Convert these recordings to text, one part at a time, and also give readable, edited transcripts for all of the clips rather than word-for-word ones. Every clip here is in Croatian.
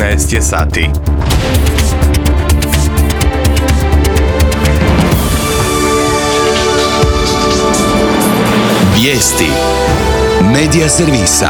19 je sati. Vijesti Medija servisa.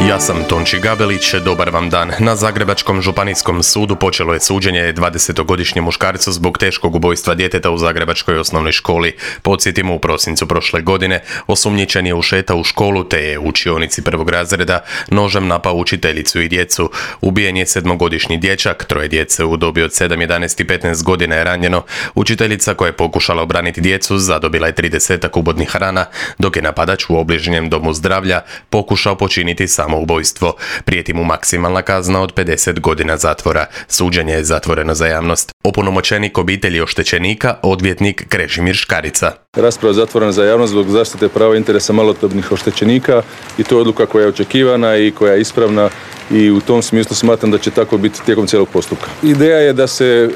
Ja sam Tonči Gabelić, dobar vam dan. Na Zagrebačkom županijskom sudu počelo je suđenje 20-godišnjem muškarcu zbog teškog ubojstva djeteta u zagrebačkoj osnovnoj školi. Podsjetimo, u prosincu prošle godine osumnjičen je ušetao u školu te je u učionici prvog razreda nožem napao učiteljicu i djecu. Ubijen je 7-godišnji dječak, 3 djece u dobi od 7, 11 i 15 godina je ranjeno. Učiteljica koja je pokušala obraniti djecu zadobila je 30 ubodnih rana, dok je napadač u obližnjem domu zdravlja pokušao počiniti samoubojstvo. Prijeti mu maksimalna kazna od 50 godina zatvora. Suđenje je zatvoreno za javnost. Opunomoćenik obitelji oštećenika, odvjetnik Krešimir Škarica. Rasprava je zatvorena za javnost zbog zaštite prava interesa malodobnih oštećenika i to je odluka koja je očekivana i koja je ispravna i u tom smislu smatram da će tako biti tijekom cijelog postupka. Ideja je da se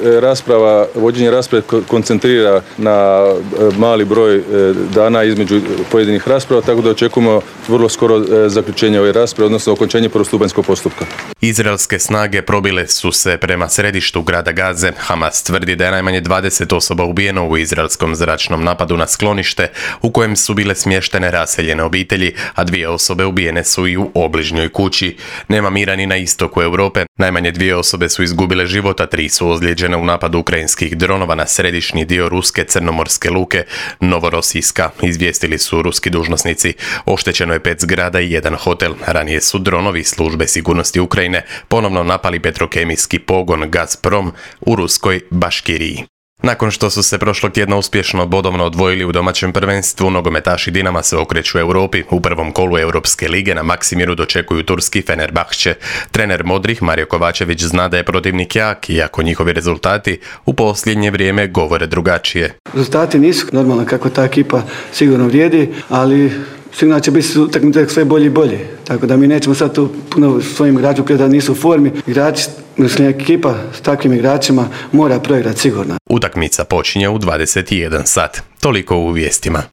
vođenje rasprave koncentrira na mali broj dana između pojedinih rasprava, tako da očekujemo vrlo skoro zaključenje ove rasprave, odnosno okončanje prvostupanjskog postupka. Izraelske snage probile su se prema središtu grada Gaze. Hamas tvrdi da je najmanje 20 osoba ubijeno u izraelskom zračnom napadu na sklonište u kojem su bile smještene raseljene obitelji, a 2 osobe ubijene su i u obližnjoj kući. Nema mira ni na istoku Europe. Najmanje 2 osobe su izgubile život, a 3 su ozlijeđene u napadu ukrajinskih dronova na središnji dio ruske crnomorske luke Novorosijska, izvijestili su ruski dužnosnici. Oštećeno je 5 zgrada i 1 hotel. Ranije su dronovi službe sigurnosti Ukrajine ponovno napali petrokemijski pogon Gazprom u ruskoj Baškiriji. Nakon što su se prošlog tjedna uspješno bodovno odvojili u domaćem prvenstvu, nogometaši Dinama se okreću Europi. U prvom kolu Europske lige na Maksimiru dočekuju turski Fenerbahče. Trener modrih Mario Kovačević zna da je protivnik jak, iako njihovi rezultati u posljednje vrijeme govore drugačije. Rezultati nisu normalno kako ta ekipa sigurno vrijedi, ali sigurno će biti utakmice sve bolje i bolje. Tako da mi nećemo sad tu puno svojim igračima da nisu u formi. Igrači, ekipa s takvim igračima mora proigrati sigurno. Utakmica počinje u 21 sat. Toliko u vijestima.